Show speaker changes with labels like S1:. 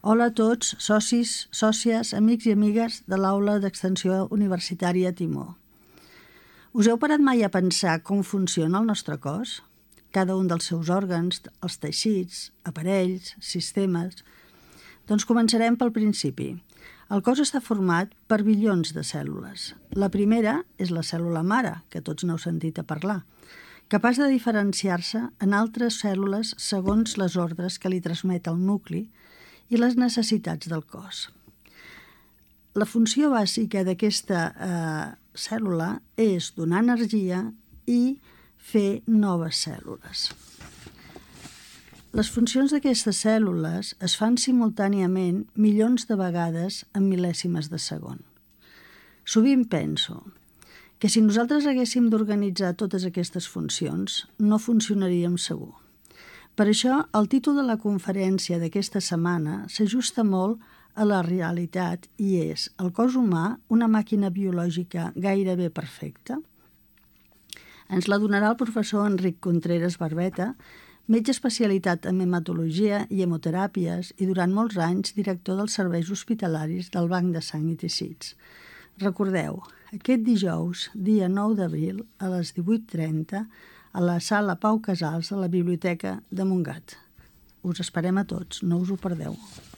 S1: Hola a tots, socis, sòcies, amics i amigues de l'Aula d'Extensió Universitària Timó. Us heu parat mai a pensar com funciona el nostre cos? Cada un dels seus òrgans, els teixits, aparells, sistemes... Doncs començarem pel principi. El cos està format per bilions de cèl·lules. La primera és la cèl·lula mare, que tots n'heu sentit a parlar, capaç de diferenciar-se en altres cèl·lules segons les ordres que li transmet el nucli i les necessitats del cos. La funció bàsica d'aquesta cèl·lula és donar energia i fer noves cèl·lules. Les funcions d'aquestes cèl·lules es fan simultàniament milions de vegades en mil·lèsimes de segon. Sovint penso que si nosaltres haguéssim d'organitzar totes aquestes funcions, no funcionaríem segur. Per això, el títol de la conferència d'aquesta setmana s'ajusta molt a la realitat i és el cos humà una màquina biològica gairebé perfecta? Ens la donarà el professor Enric Contreras Barbeta, metge especialitat en hematologia i hemoteràpies i durant molts anys director dels serveis hospitalaris del Banc de Sang i Teixits. Recordeu, aquest dijous, dia 9 d'abril, a les 18:30, a la sala Pau Casals de la Biblioteca de Montgat. Us esperem a tots, no us ho perdeu.